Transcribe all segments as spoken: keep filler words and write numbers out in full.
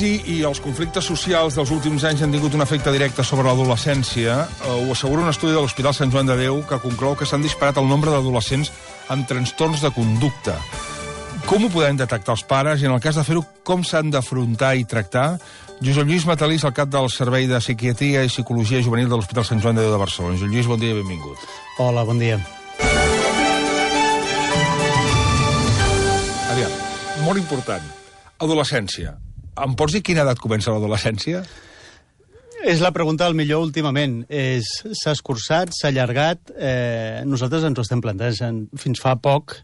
crisi i els conflictes socials dels últims anys han tingut un efecte directe sobre l'adolescència. Ho assegura un estudi de l'Hospital Sant Joan de Déu que conclou que s'han disparat el nombre d'adolescents amb trastorns de conducta. Com ho podem detectar els pares i, en el cas de fer-ho, com s'han d'afrontar i tractar? Josep Lluís Matalís, el cap del Servei de Psiquiatria i Psicologia Juvenil de l'Hospital Sant Joan de Déu de Barcelona. Josep Lluís, bon dia i benvingut. Hola, bon dia. Aviam, molt important. Adolescència. Em pots dir quina edat comença l'adolescència? És la pregunta del millor últimament. S'ha escurçat, s'ha allargat. Eh, nosaltres ens ho estem plantejant. Fins fa poc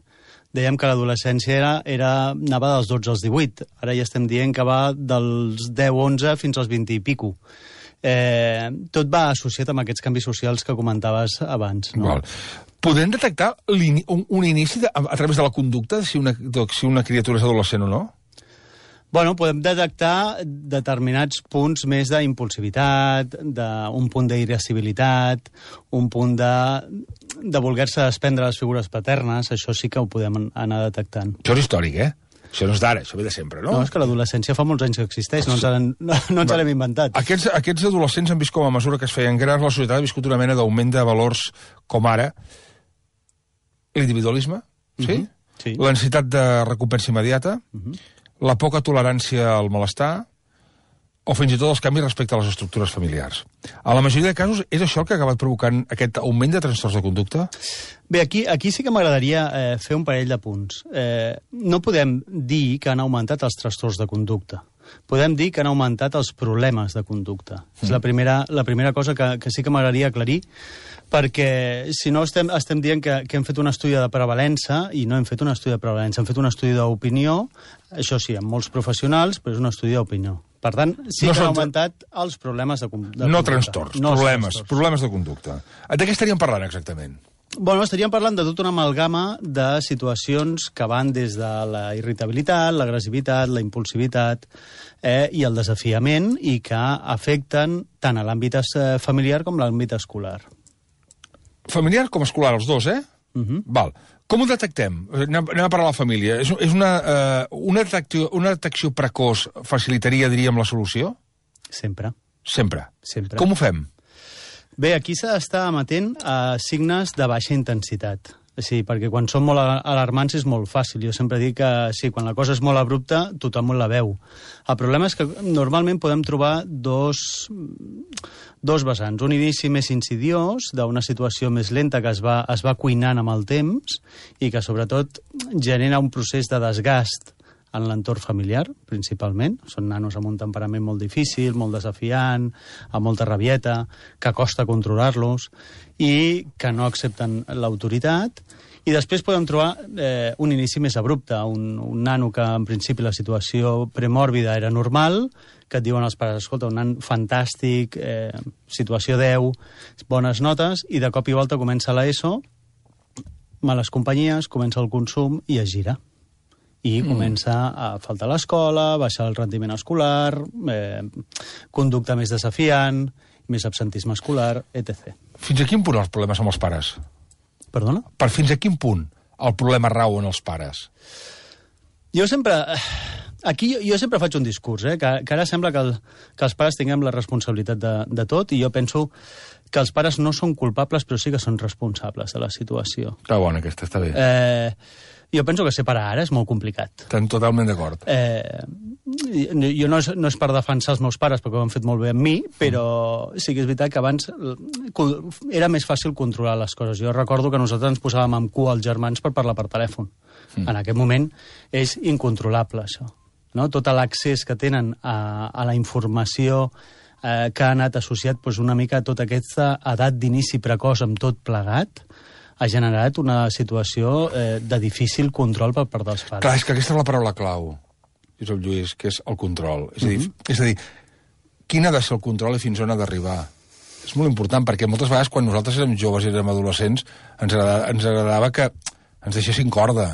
dèiem que l'adolescència era, era, anava dels dotze als divuit. Ara ja estem dient que va dels deu onze fins als vint i pico. Eh, tot va associat amb aquests canvis socials que comentaves abans. No? Val. Podem detectar un, un inici de, a, a través de la conducta de si una, de si una criatura és adolescent o no? Bueno, podem detectar determinats punts més d'impulsivitat, d'un punt d'irascibilitat, un punt de, de voler-se desprendre les figures paternes. Això sí que ho podem anar detectant. Això és històric, eh? Això no és d'ara, això ve de sempre, no? No, és que l'adolescència fa molts anys que existeix, no ens l'hem no, no l'hem inventat. Aquests, aquests adolescents han vist com a mesura que es feien grans, la societat ha viscut una mena d'augment de valors com ara l'individualisme, sí? Uh-huh. Sí. La necessitat de recompensa immediata, uh-huh. la poca tolerància al malestar, o fins i tot els canvis respecte a les estructures familiars. A la majoria de casos, és això el que ha acabat provocant aquest augment de trastorns de conducta? Bé, aquí, aquí sí que m'agradaria eh, fer un parell de punts. Eh, no podem dir que han augmentat els trastorns de conducta. Podem dir que han augmentat els problemes de conducta. Mm. És la primera, la primera cosa que, que sí que m'agradaria aclarir, perquè si no estem, estem dient que, que hem fet un estudi de prevalença i no hem fet un estudi de prevalença, hem fet un estudi d'opinió, això sí, amb molts professionals, però és un estudi d'opinió. Per tant, sí no que han augmentat els problemes de, de no conducta. Trastorns, no problemes, trastorns, problemes de conducta. De què estaríem parlant exactament? Bueno, estaríem parlant de tota una amalgama de situacions que van des de la irritabilitat, l'agressivitat, la impulsivitat eh, i el desafiament i que afecten tant a l'àmbit familiar com a l'àmbit escolar. Familiar com escolar, els dos, eh? Uh-huh. Val. Com ho detectem? Anem, anem a parlar de la família. És, és una, uh, una, detecció, una detecció precoç facilitaria, diríem, la solució? Sempre. Sempre? Sempre. Com ho fem? Bé, aquí s'ha d'estar amatent a signes de baixa intensitat. Sí, perquè quan són molt alarmants és molt fàcil. Jo sempre dic que sí, quan la cosa és molt abrupta, tothom la veu. El problema és que normalment podem trobar dos, dos vessants. Un inici més insidiós, d'una situació més lenta que es va, es va cuinant amb el temps i que sobretot genera un procés de desgast en l'entorn familiar, principalment. Són nanos amb un temperament molt difícil, molt desafiant, amb molta rabieta, que costa controlar-los i que no accepten l'autoritat. I després podem trobar eh, un inici més abrupte, un, un nano que en principi la situació premòrbida era normal, que et diuen els pares, escolta, un nan fantàstic, eh, situació deu, bones notes, i de cop i volta comença l'ESO, males companyies, comença el consum i es gira. I mm. comença a faltar a l'escola, baixar el rendiment escolar, eh, conducta més desafiant, més absentisme escolar, etcètera. Fins a quin punt els problemes amb els pares? Perdona? Per fins a quin punt el problema rau en els pares? Jo sempre... Aquí jo, jo sempre faig un discurs, eh, que, que ara sembla que, el, que els pares tinguem la responsabilitat de, de tot, i jo penso que els pares no són culpables, però sí que són responsables de la situació. Està bona aquesta, està bé. Eh... Jo penso que separar ara és molt complicat. Estem totalment d'acord. Eh, jo no és, no és per defensar els meus pares, perquè ho han fet molt bé amb mi, però sí que és veritat que abans era més fàcil controlar les coses. Jo recordo que nosaltres ens posàvem amb cua als germans per parlar per telèfon. Mm. En aquest moment és incontrolable, això. No? Tot l'accés que tenen a, a la informació eh, que ha anat associat doncs, una mica a tota aquesta edat d'inici precoç amb tot plegat, ha generat una situació eh, de difícil control per part dels pares. Clar, és que aquesta és la paraula clau, Josep Lluís, que és el control. És a dir, mm-hmm. és a dir, quin ha de ser el control i fins on ha d'arribar? És molt important, perquè moltes vegades quan nosaltres érem joves i érem adolescents ens agradava, ens agradava que ens deixessin corda.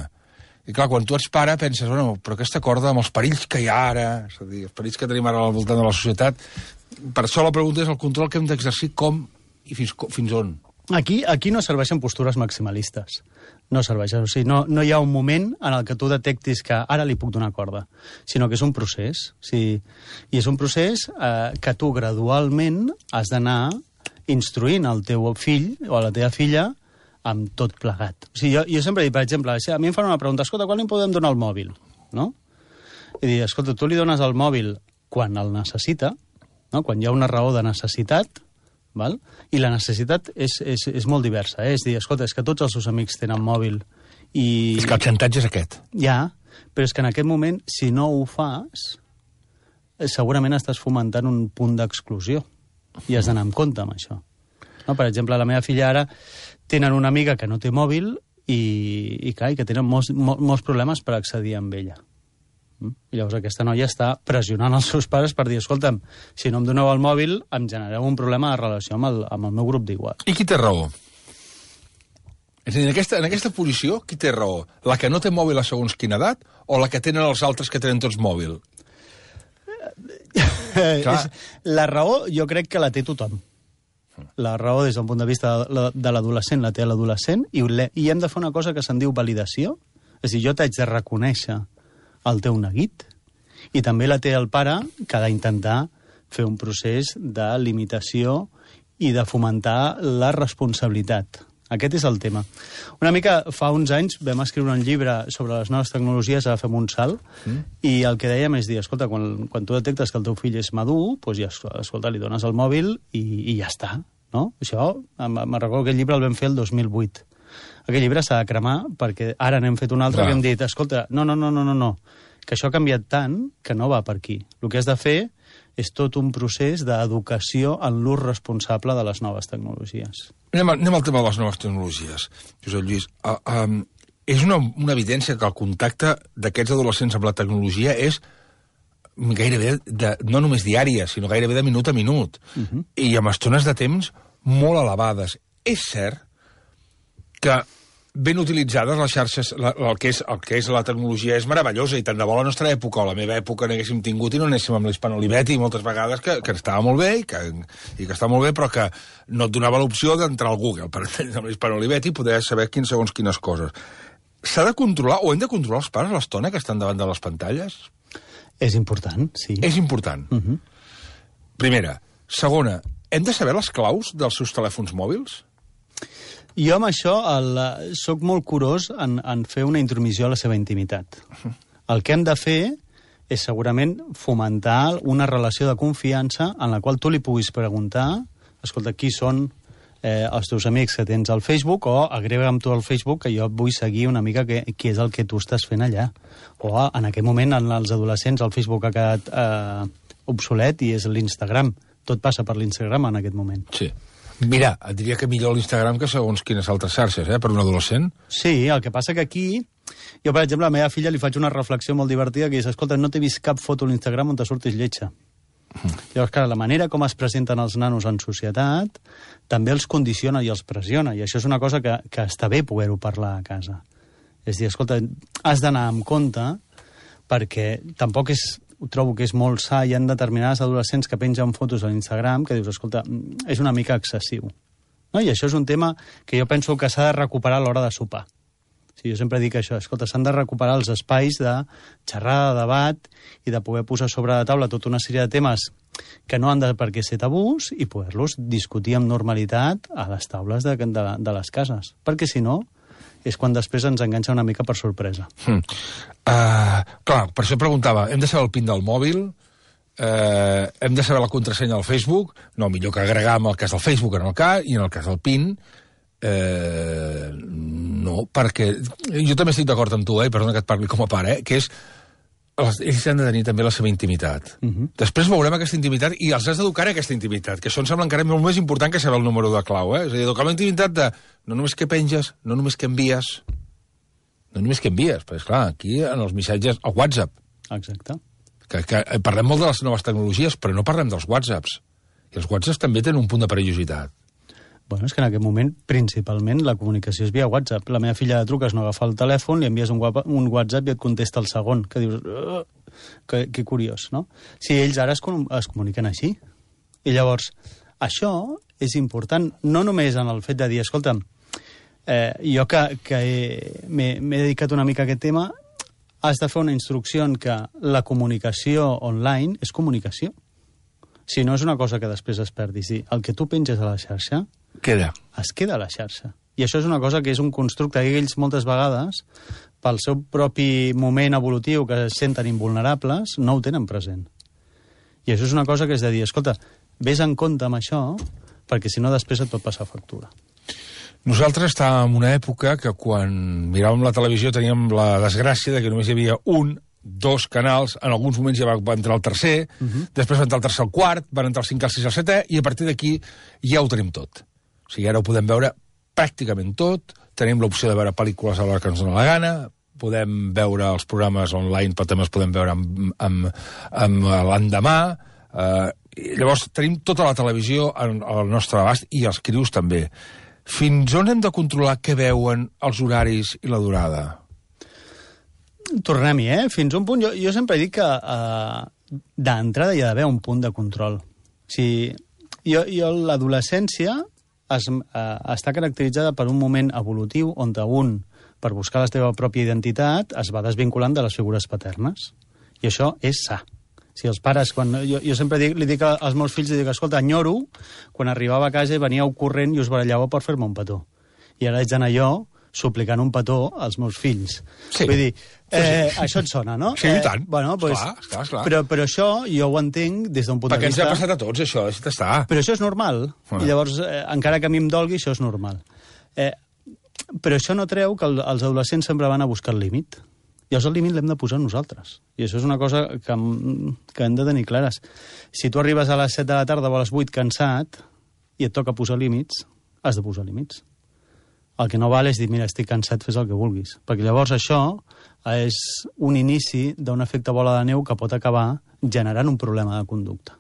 I clar, quan tu ets pare penses, bueno, però aquesta corda amb els perills que hi ha ara, és a dir, els perills que tenim ara al voltant de la societat, per això la pregunta és el control que hem d'exercir com i fins, fins on. Aquí, aquí no serveixen postures maximalistes. No serveix. O sigui, no, no hi ha un moment en el que tu detectis que ara li puc donar corda, sinó que és un procés. O sigui, i és un procés eh, que tu gradualment has d'anar instruint el teu fill o la teva filla amb tot plegat. O sigui, jo, jo sempre dic, per exemple, a mi em fan una pregunta, escolta, quan li podem donar el mòbil? No? I dir, escolta, tu li dones el mòbil quan el necessita, no? Quan hi ha una raó de necessitat, val? I la necessitat és, és, és molt diversa. Eh? És dir, escolta, és que tots els seus amics tenen mòbil i... És que el xantatge és aquest. Ja, però és que en aquest moment, si no ho fas, segurament estàs fomentant un punt d'exclusió i has d'anar amb compte amb això. No? Per exemple, la meva filla ara tenen una amiga que no té mòbil i, i, clar, i que tenen molts, molts, molts problemes per accedir amb ella. I llavors aquesta noia està pressionant els seus pares per dir, escolta'm, si no em doneu el mòbil em genereu un problema de relació amb el, amb el meu grup d'iguals. I qui té raó? És a dir, en aquesta, en aquesta posició, qui té raó? La que no té mòbil a segons quina edat o la que tenen els altres que tenen tots mòbil? És, la raó jo crec que la té tothom. La raó des del punt de vista de l'adolescent la té l'adolescent i, i hem de fer una cosa que se'n diu validació. És a dir, jo t'haig de reconèixer el teu neguit i també la té el pare que ha d'intentar fer un procés de limitació i de fomentar la responsabilitat. Aquest és el tema. Una mica fa uns anys vam escriure un llibre sobre les noves tecnologies a Fem un salt mm. i el que dèiem és dir, escolta, quan, quan tu detectes que el teu fill és madur, doncs ja, escolta, li dones el mòbil i, i ja està. No? Això, me'n recordo que el llibre el vam fer el dos mil vuit. Aquest llibre s'ha de cremar perquè ara n'hem fet un altre que hem dit, escolta, no, no, no, no, no, no, que això ha canviat tant que no va per aquí. El que has de fer és tot un procés d'educació en l'ús responsable de les noves tecnologies. Anem, anem al tema de les noves tecnologies. Josep Lluís, uh, um, és una, una evidència que el contacte d'aquests adolescents amb la tecnologia és gairebé, de, no només diària, sinó gairebé de minut a minut, uh-huh. i amb estones de temps molt elevades. És cert que ben utilitzades les xarxes, la, el, que és, el que és la tecnologia és meravellosa, i tant de bo la nostra època o la meva època n'haguéssim tingut i no anéssim amb l'Hispano-Olivetti moltes vegades, que, que estava molt bé i que, i que està molt bé, però que no et donava l'opció d'entrar al Google per entendre amb l'Hispano-Olivetti i poder saber quins segons quines coses. S'ha de controlar, o hem de controlar els pares l'estona que estan davant de les pantalles? És important, sí. És important. Uh-huh. Primera. Segona, hem de saber les claus dels seus telèfons mòbils? Jo amb això el, soc molt curós en, en fer una intromissió a la seva intimitat. Uh-huh. El que hem de fer és segurament fomentar una relació de confiança en la qual tu li puguis preguntar, escolta, qui són eh, els teus amics que tens al Facebook, o agrega'm tu al Facebook que jo vull seguir una mica que, qui és el que tu estàs fent allà. O en aquest moment, en els adolescents, el Facebook ha quedat eh, obsolet i és l'Instagram. Tot passa per l'Instagram en aquest moment. Sí. Mira, et diria que millor l'Instagram que segons quines altres xarxes, eh, per un adolescent. Sí, el que passa que aquí... Jo, per exemple, a la meva filla li faig una reflexió molt divertida que és, escolta, no t'he vist cap foto a l'Instagram on te surtis lletja. Mm. Llavors, clar, la manera com es presenten els nanos en societat també els condiciona i els pressiona, i això és una cosa que, que està bé poder-ho parlar a casa. És dir, escolta, has d'anar amb compte perquè tampoc és... trobo que és molt sa, hi ha determinades adolescents que pengen fotos a l'Instagram que dius, escolta, és una mica excessiu. No? I això és un tema que jo penso que s'ha de recuperar a l'hora de sopar. Sí, jo sempre dic això, escolta, s'han de recuperar els espais de xerrada, de debat i de poder posar sobre la taula tota una sèrie de temes que no han de per què ser tabús i poder-los discutir amb normalitat a les taules de, de, de les cases. Perquè si no, és quan després ens enganxa una mica per sorpresa. Hmm. Uh, clar, per això preguntava, hem de saber el PIN del mòbil, uh, hem de saber la contrasenya del Facebook, no, millor que agregar en el cas del Facebook en el cas, i en el cas del PIN, uh, no, perquè jo també estic d'acord amb tu, eh, perdona que et parli com a pare, eh, que és ells han de tenir també la seva intimitat. Uh-huh. Després veurem aquesta intimitat i els has d'educar a aquesta intimitat, que això em sembla encara molt més important que saber el número de clau, eh? És a dir, educar la intimitat de no només que penges, no només que envies, no només que envies, perquè, esclar, aquí en els missatges, el WhatsApp. Exacte. Que, que parlem molt de les noves tecnologies, però no parlem dels WhatsApps. I els WhatsApps també tenen un punt de perillositat. Bueno, és que en aquest moment, principalment, la comunicació és via WhatsApp. La meva filla de truques no agafa el telèfon, li envies un, un WhatsApp i et contesta el segon, que dius... Uh, que, que curiós, no? Si ells ara es, es comuniquen així. I llavors, això és important, no només en el fet de dir, escolta'm, Eh, jo que, que m'he dedicat una mica a aquest tema, has de fer una instrucció en que la comunicació online és comunicació. Si no és una cosa que després es perdi. Sí, el que tu penges a la xarxa... Queda. Es queda a la xarxa. I això és una cosa que és un constructe que ells moltes vegades, pel seu propi moment evolutiu, que es senten invulnerables, no ho tenen present. I això és una cosa que és de dir, escolta, vés en compte amb això, perquè si no després et pot passar factura. Nosaltres estàvem en una època que quan miràvem la televisió teníem la desgràcia de que només hi havia un, dos canals, en alguns moments ja va entrar el tercer, uh -huh. després va entrar el tercer al quart, van entrar el cinquè, el sisè, el setè, i a partir d'aquí ja ho tenim tot. O sigui, ara ho podem veure pràcticament tot, tenim l'opció de veure pel·lícules a l'hora que ens dona la gana, podem veure els programes online, però també els podem veure amb, amb, amb l'endemà. Eh, llavors, tenim tota la televisió al, al nostre abast i els crius també. Fins on hem de controlar què veuen, els horaris i la durada? Tornem-hi, eh? Fins un punt... Jo, jo sempre dic que uh, d'entrada hi ha d'haver un punt de control. O sigui, jo, jo l'adolescència es, uh, està caracteritzada per un moment evolutiu on un, per buscar la seva pròpia identitat, es va desvinculant de les figures paternes. I això és sa. Si els pares, quan, jo, jo sempre dic, li dic als meus fills, dic, escolta, enyoro, quan arribava a casa veníeu corrent i us barallàveu per fer-me un petó. I ara haig d'anar jo suplicant un petó als meus fills. Sí. Vull dir, eh, sí. això et sona, no? Sí, i tant. Eh, bueno, pues, esclar, esclar, esclar. Però, però això jo ho entenc des d'un punt Perquè de vista... ens ha passat a tots, això, deixa't estar. Però això és normal. Ah. I llavors, eh, encara que a mi em dolgui, això és normal. Eh, però això no treu que el, els adolescents sempre van a buscar el límit. Llavors el límit l'hem de posar nosaltres. I això és una cosa que, que hem de tenir clares. Si tu arribes a les set de la tarda o a les vuit cansat i et toca posar límits, has de posar límits. El que no val és dir, mira, estic cansat, fes el que vulguis. Perquè llavors això és un inici d'un efecte bola de neu que pot acabar generant un problema de conducta.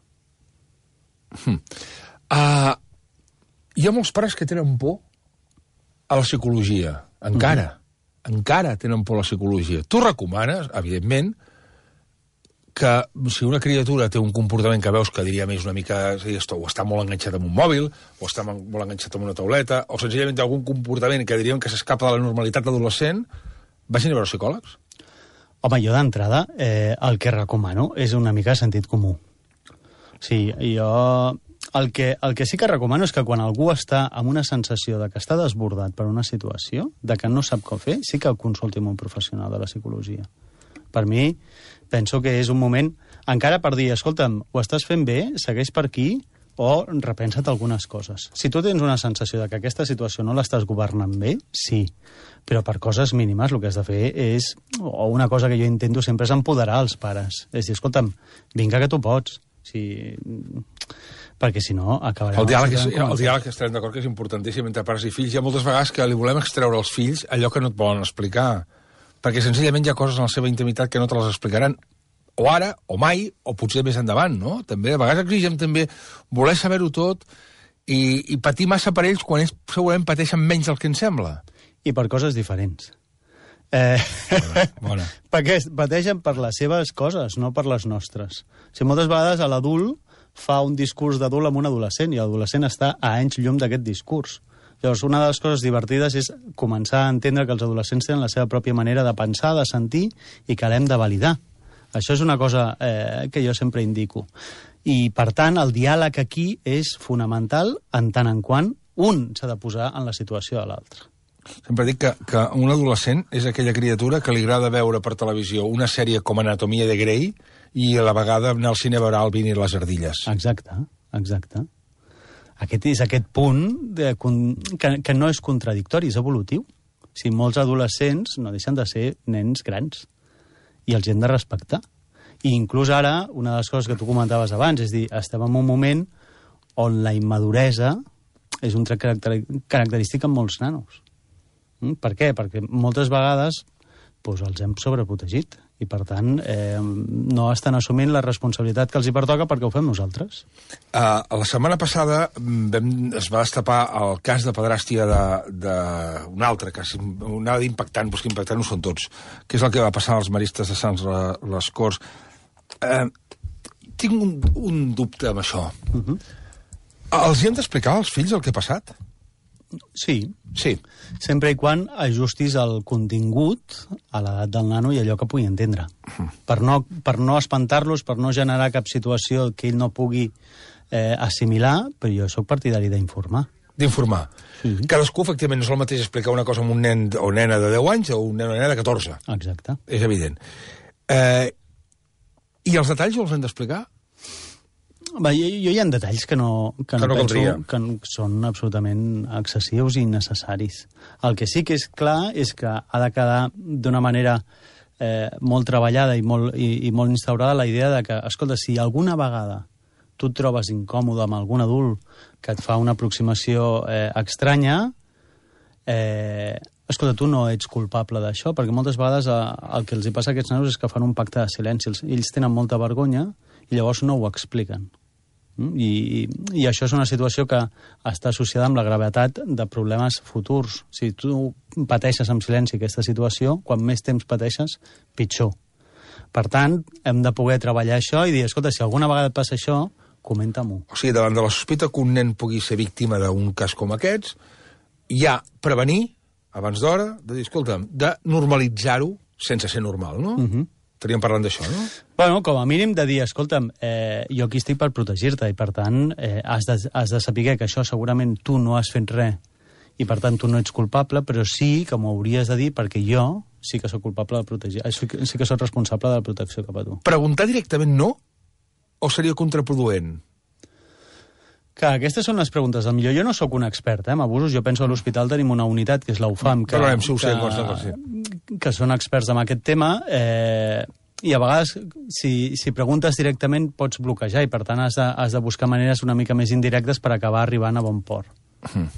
Hmm. Uh, hi ha molts pares que tenen por a la psicologia. Encara. Uh-huh. Encara tenen por a la psicologia. Tu recomanes, evidentment, que si una criatura té un comportament que veus que diria més una mica, o està molt enganxat amb un mòbil, o està molt enganxat amb una tauleta, o senzillament té algun comportament que diríem que s'escapa de la normalitat adolescent, vagin a veure psicòlegs? Home, jo d'entrada eh, el que recomano és una mica sentit comú. Sí, jo... El que, el que sí que recomano és que quan algú està amb una sensació de que està desbordat per una situació, de que no sap com fer, sí que consulti amb un professional de la psicologia. Per mi, penso que és un moment, encara per dir, escolta'm, ho estàs fent bé, segueix per aquí, o repensa't algunes coses. Si tu tens una sensació de que aquesta situació no l'estàs governant bé, sí, però per coses mínimes el que has de fer és, o una cosa que jo intento sempre és empoderar els pares. És dir, escolta'm, vinga que tu pots. Si... perquè si no acabarem... El diàleg, és, el diàleg estarem d'acord que és importantíssim entre pares i fills. Hi ha moltes vegades que li volem extreure als fills allò que no et volen explicar, perquè senzillament hi ha coses en la seva intimitat que no te les explicaran o ara, o mai, o potser més endavant, no? També, a vegades exigem també voler saber-ho tot i, i patir massa per ells quan ells segurament pateixen menys del que ens sembla. I per coses diferents. Eh... Bona, bona. Perquè pateixen per les seves coses, no per les nostres. O sigui, moltes vegades a l'adult fa un discurs d'adult amb un adolescent i l'adolescent està a anys llum d'aquest discurs. Llavors, una de les coses divertides és començar a entendre que els adolescents tenen la seva pròpia manera de pensar, de sentir, i que l'hem de validar. Això és una cosa eh, que jo sempre indico. I, per tant, el diàleg aquí és fonamental en tant en quant un s'ha de posar en la situació de l'altre. Sempre dic que, que un adolescent és aquella criatura que li agrada veure per televisió una sèrie com Anatomia de Grey i a la vegada anar al cine a veure Alvin i les ardilles. Exacte, exacte. Aquest és aquest punt de, que, que no és contradictori, és evolutiu. O sigui, molts adolescents no deixen de ser nens grans i els hem de respectar. I inclús ara, una de les coses que tu comentaves abans, és dir, estem en un moment on la immaduresa és un tret caracter, característic en molts nanos. Mm? Per què? Perquè moltes vegades doncs, els hem sobreprotegit i, per tant, eh, no estan assumint la responsabilitat que els hi pertoca perquè ho fem nosaltres. Uh, la setmana passada vam, es va destapar el cas de pedràstia d'un altre cas, anava d'impactant, però que impactant no són tots, que és el que va passar als maristes de Sants les Corts. Uh, tinc un, un dubte amb això. Uh-huh. Els hi hem d'explicar als fills el que ha passat? Sí. Sí. Sempre i quan ajustis el contingut a l'edat del nano i allò que pugui entendre. Mm. Per no, per no espantar-los, per no generar cap situació que ell no pugui eh, assimilar, però jo sóc partidari d'informar. D'informar. Sí. Cadascú, efectivament, no és el mateix explicar una cosa a un nen o nena de deu anys o un nen o nena de catorze. Exacte. És evident. Eh, I els detalls els hem d'explicar? Va, jo, jo hi ha detalls que no, que que no, no penso caldria. que són absolutament excessius i innecessaris. El que sí que és clar és que ha de quedar d'una manera eh, molt treballada i molt, i, i molt instaurada la idea de que, escolta, si alguna vegada tu et trobes incòmode amb algun adult que et fa una aproximació eh, estranya, eh, escolta, tu no ets culpable d'això, perquè moltes vegades eh, el que els hi passa a aquests nanos és que fan un pacte de silenci. Ells, ells tenen molta vergonya i llavors no ho expliquen. I, i, I això és una situació que està associada amb la gravetat de problemes futurs. Si tu pateixes en silenci aquesta situació, quan més temps pateixes, pitjor. Per tant, hem de poder treballar això i dir, escolta, si alguna vegada et passa això, comenta-m'ho. O sigui, davant de la sospita que un nen pugui ser víctima d'un cas com aquests, hi ha prevenir, abans d'hora, de dir, escolta, de normalitzar-ho sense ser normal, no? Mhm. Estaríem parlant d'això, no? Bueno, com a mínim de dir, escolta'm, eh, jo aquí estic per protegir-te i, per tant, eh, has, de, has de saber que això segurament tu no has fet res i, per tant, tu no ets culpable, però sí que m'ho hauries de dir perquè jo sí que sóc culpable de protegir, sí que, sí que sóc responsable de la protecció cap a tu. Preguntar directament no o seria contraproduent? Clar, aquestes són les preguntes. A millor jo no sóc un expert eh, en abusos. Jo penso que a l'hospital tenim una unitat, que és l'U F A M, que, Parlarem, si ho sé, que, consta, sí. que són experts en aquest tema, eh, i a vegades, si, si preguntes directament, pots bloquejar, i per tant has de, has de buscar maneres una mica més indirectes per acabar arribant a bon port. Hmm.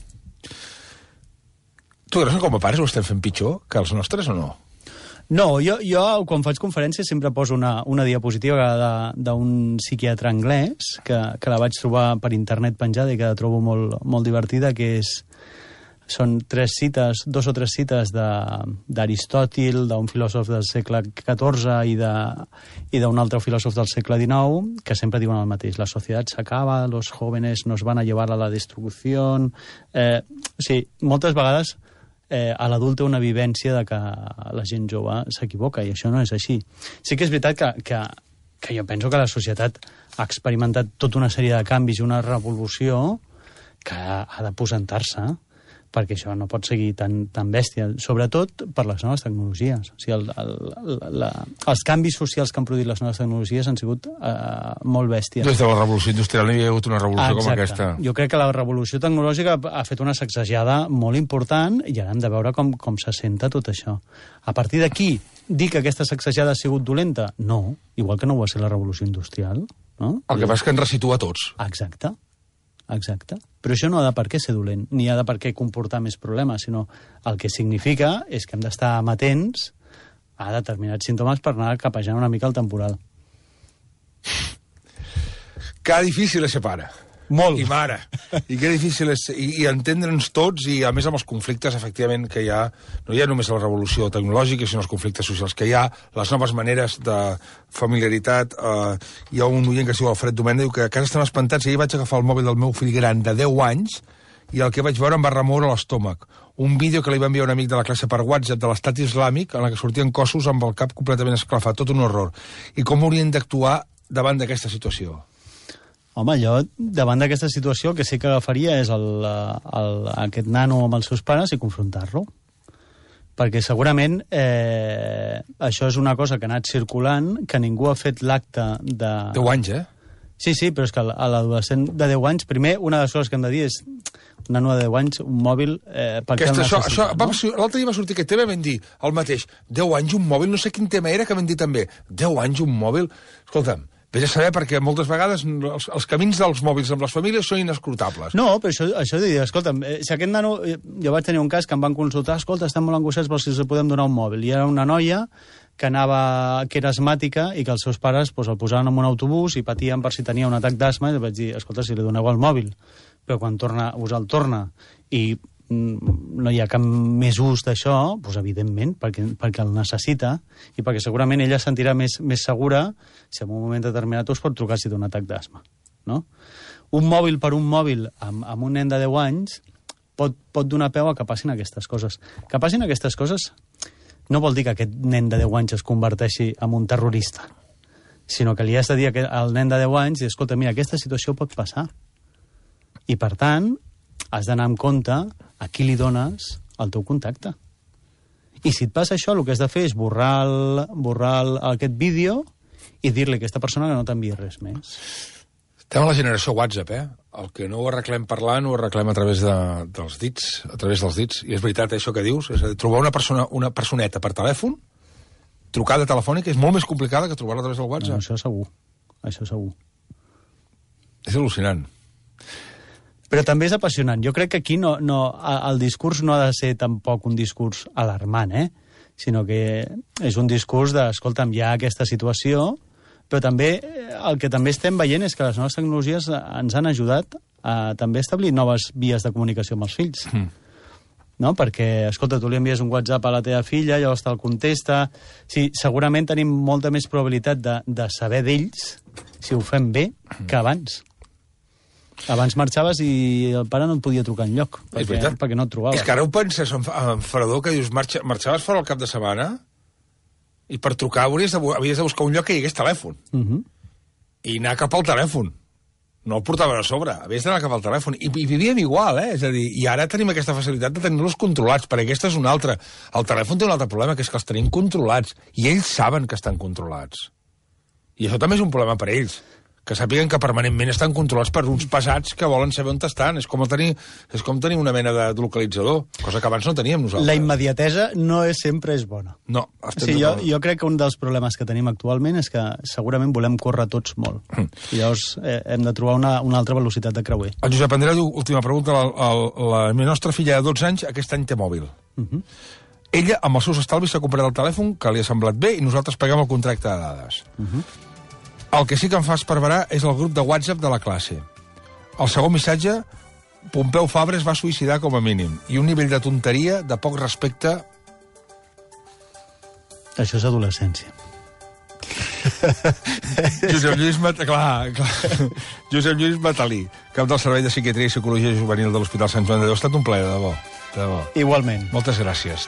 Tu creus que com a pares ho estem fent pitjor que els nostres o no? No, jo, jo quan faig conferències sempre poso una, una diapositiva d'un psiquiatre anglès que, que la vaig trobar per internet penjada i que la trobo molt, molt divertida, que és, són tres cites, dos o tres cites d'Aristòtil, d'un filòsof del segle catorze i d'un altre filòsof del segle dinou, que sempre diuen el mateix. La societat s'acaba, los jóvenes nos van a llevar a la destrucció... Eh, o sigui, moltes vegades... Eh, a l'adult té una vivència de que la gent jove s'equivoca, i això no és així. Sí que és veritat que, que, que jo penso que la societat ha experimentat tota una sèrie de canvis i una revolució que ha de posentar-se, perquè això no pot seguir tan, tan bèstia, sobretot per les noves tecnologies. O sigui, el, el, la, els canvis socials que han produït les noves tecnologies han sigut eh, molt bèsties. Des de la revolució industrial no hi ha hagut una revolució Exacte. Com aquesta. Jo crec que la revolució tecnològica ha fet una sacsejada molt important i ara hem de veure com, com s'assenta tot això. A partir d'aquí, dir que aquesta sacsejada ha sigut dolenta? No, igual que no ho va ser la revolució industrial. No? El que passa és que ens resitua a tots. Exacte. Exacte. Però això no ha de per què ser dolent, ni ha de per què comportar més problemes, sinó el que significa és que hem d'estar amatents a determinats símptomes per anar capejant una mica el temporal. Que difícil és ser pare. Molt. I mare. I que difícil és... I, i entendre'ns tots, i a més amb els conflictes, efectivament, que hi ha... No hi ha només la revolució tecnològica, sinó els conflictes socials que hi ha, les noves maneres de familiaritat. Eh, hi ha un oient que es diu Alfred Domènech, diu que a casa estem espantats, i ahir vaig agafar el mòbil del meu fill gran de deu anys i el que vaig veure em va remoure l'estómac. Un vídeo que li va enviar un amic de la classe per WhatsApp de l'estat islàmic en la que sortien cossos amb el cap completament esclafat, tot un horror. I com haurien d'actuar davant d'aquesta situació? Home, jo, davant d'aquesta situació, el que sí que agafaria és el, el, aquest nano amb els seus pares i confrontar-lo. Perquè segurament eh, això és una cosa que ha anat circulant, que ningú ha fet l'acte de... Deu anys, eh? Sí, sí, però és que a l'adolescent de deu anys, primer, una de les coses que hem de dir és un nano de deu anys, un mòbil... Eh, per què el això, necessita, això, no? L'altre dia va sortir aquest tema i vam dir el mateix. deu anys un mòbil, no sé quin tema era que vam dir també. deu anys un mòbil... Escolta'm, vés a saber, perquè moltes vegades els, els camins dels mòbils amb les famílies són inescrutables. No, però això, això de dir, escolta'm, eh, si aquest nano... Eh, jo vaig tenir un cas que em van consultar, escolta, estan molt angoixats per si els podem donar un mòbil. I era una noia que anava, que era asmàtica i que els seus pares pues, el posaven en un autobús i patien per si tenia un atac d'asma, i vaig dir, escolta, si li doneu el mòbil, però quan torna, us el torna i no hi ha cap més ús d'això, doncs evidentment, perquè, perquè el necessita i perquè segurament ella es sentirà més, més segura si en un moment determinat us pot trucar si té un atac d'asma, no? Un mòbil per un mòbil amb, amb un nen de deu anys pot, pot donar peu a que passin aquestes coses. Que passin aquestes coses no vol dir que aquest nen de deu anys es converteixi en un terrorista, sinó que li has de dir al nen de deu anys, escolta, mira, aquesta situació pot passar. I, per tant, has d'anar amb compte a qui li dones el teu contacte. I si et passa això, el que has de fer és borrar, el, borrar el, aquest vídeo i dir-li a aquesta persona que no t'enviï res més. Estem a la generació WhatsApp, eh? El que no ho arreglem parlant, ho arreglem a través de, dels dits, a través dels dits. I és veritat, això que dius, és a dir, trobar una, persona, una personeta per telèfon, trucada telefònica, és molt més complicada que trobar-la a través del WhatsApp. No, això segur, això segur. És al·lucinant. Però també és apassionant. Jo crec que aquí no, no, el discurs no ha de ser tampoc un discurs alarmant, eh? Sinó que és un discurs de, escolta'm, hi ha aquesta situació, però també el que també estem veient és que les noves tecnologies ens han ajudat a també establir noves vies de comunicació amb els fills. Mm. No? Perquè, escolta, tu li envies un WhatsApp a la teva filla, llavors te'l contesta... Sí, segurament tenim molta més probabilitat de, de saber d'ells, si ho fem bé, que abans. Abans marxaves i el pare no et podia trucar enlloc, perquè, perquè no et trobava. És que ara ho penses, en Fredó, que dius, marxa, marxaves fora el cap de setmana i per trucar havies de, havies de buscar un lloc que hi hagués telèfon. Uh -huh. I anar cap al telèfon. No el portaven a sobre, havies d'anar cap al telèfon. I, I vivíem igual, eh? És a dir, i ara tenim aquesta facilitat de tenir-los controlats, perquè aquesta és una altra. El telèfon té un altre problema, que és que els tenim controlats, i ells saben que estan controlats. I això també és un problema per ells, que sàpiguen que permanentment estan controlats per uns pesats que volen saber on estan. És com tenir, és com tenir una mena de localitzador, cosa que abans no teníem nosaltres. La immediatesa no és, sempre és bona. No, estem sí, jo, jo crec que un dels problemes que tenim actualment és que segurament volem córrer tots molt. Mm. I llavors eh, hem de trobar una, una altra velocitat de creuer. El Josep Andreu diu, última pregunta, la, la, la nostra filla de dotze anys aquest any té mòbil. Uh -huh. Ella, amb els seus estalvis, s'ha comprat el telèfon, que li ha semblat bé, i nosaltres paguem el contracte de dades. Uh -huh. El que sí que em fa esparverar és el grup de WhatsApp de la classe. El segon missatge, Pompeu Fabra es va suïcidar com a mínim, i un nivell de tonteria, de poc respecte... Això és adolescència. Josep Lluís Mat... clar, clar. Josep Lluís Matalí, cap del Servei de Psiquiatria i Psicologia Juvenil de l'Hospital Sant Joan de Déu. Ha estat un plaer, de debò. De debò. Igualment. Moltes gràcies.